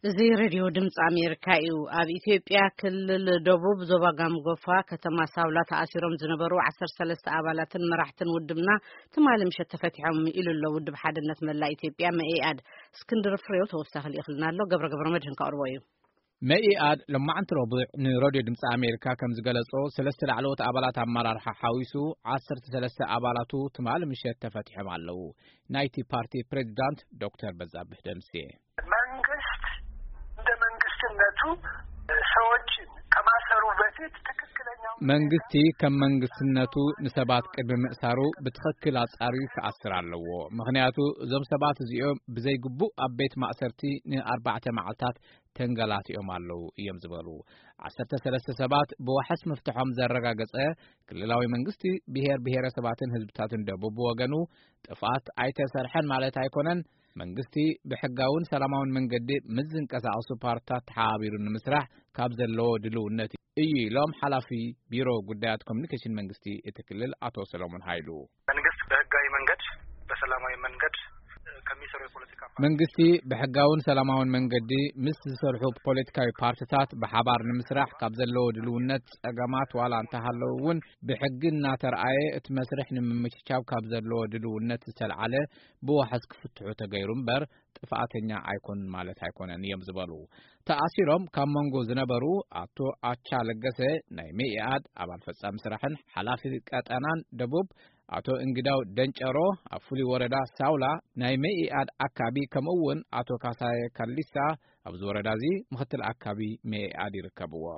እዚ ሬድዮ ድምፂ ኣሜሪካ እዩ። ኣብ ኢትዮጵያ ክልል ደቡብ ዞባ ጋምጎፋ ከተማ ሳውላ ተኣሲሮም ዝነበሩ ዓሰርተ ሰለስተ ኣባላትን መራሕትን ውድብና ትማሊ ምሸት ተፈቲሖም ኢሉ ኣሎ ውድብ ሓድነት መላእ ኢትዮጵያ፣ መኢኣድ። እስክንድር ፍሬው ተወሳኺ ልኢኽልና ኣሎ። ገብረ ገብረ መድህን ከቕርቦ እዩ። መኢኣድ ሎማዕንቲ ረቡዕ ንሬድዮ ድምፂ ኣሜሪካ ከም ዝገለጾ፣ ሰለስተ ላዕለዎት ኣባላት ኣመራርሓ ሓዊሱ ዓሰርተ ሰለስተ ኣባላቱ ትማሊ ምሸት ተፈቲሖም ኣለዉ። ናይቲ ፓርቲ ፕሬዚዳንት ዶክተር በዛብህ ደምሴ። መንግስት እንደ መንግስትነቱ ሰዎችን ከማሰሩ በፊት ትክክለኛው መንግስቲ ከም መንግስትነቱ ንሰባት ቅድሚ ምእሳሩ ብትኽክል ኣጻርዩ ክኣስር ኣለዎ። ምኽንያቱ እዞም ሰባት እዚኦም ብዘይግቡእ ኣብ ቤት ማእሰርቲ ንኣርባዕተ መዓልታት ተንገላቲኦም ኣለዉ እዮም ዝበሉ ዓሰርተ ሰለስተ ሰባት ብዋሕስ ምፍትሖም ዘረጋገጸ ክልላዊ መንግስቲ፣ ብሄር ብሄረሰባትን ህዝብታትን ደቡብ ብወገኑ ጥፍኣት ኣይተሰርሐን ማለት ኣይኮነን። መንግስቲ ብሕጋውን ሰላማውን መንገዲ ምስ ዝንቀሳቐሱ ፓርትታት ተሓባቢሩ ንምስራሕ ካብ ዘለዎ ድልውነት እዩ ኢሎም ሓላፊ ቢሮ ጉዳያት ኮሚኒኬሽን መንግስቲ እቲ ክልል ኣቶ ሰሎሞን ሃይሉ። መንግስት በህጋዊ መንገድ በሰላማዊ መንገድ ከሚሰሩ የፖለቲካ ፓርቲ መንግስቲ ብሕጋውን ሰላማውን መንገዲ ምስ ዝሰርሑ ፖለቲካዊ ፓርትታት ብሓባር ንምስራሕ ካብ ዘለዎ ድልውነት ጸገማት ዋላ እንተሃለዉ እውን ብሕጊ እናተርኣየ እቲ መስርሕ ንምምችቻው ካብ ዘለዎ ድልውነት ዝተልዓለ ብዋሕስ ክፍትሑ ተገይሩ እምበር ጥፍኣተኛ ኣይኮኑን ማለት ኣይኮነን እዮም ዝበሉ። ተኣሲሮም ካብ መንጎ ዝነበሩ ኣቶ ኣቻ ለገሰ ናይ መኢኣድ ኣባል ፈጻሚ ስራሕን ሓላፊ ቀጠናን ደቡብ፣ ኣቶ እንግዳው ደንጨሮ ኣብ ፍሉይ ወረዳ ሳውላ ናይ መኢኣድ ኣካቢ፣ ከምኡ እውን ኣቶ ካሳየ ካሊሳ ኣብዚ ወረዳ እዚ ምክትል ኣካቢ መኢኣድ ይርከብዎ።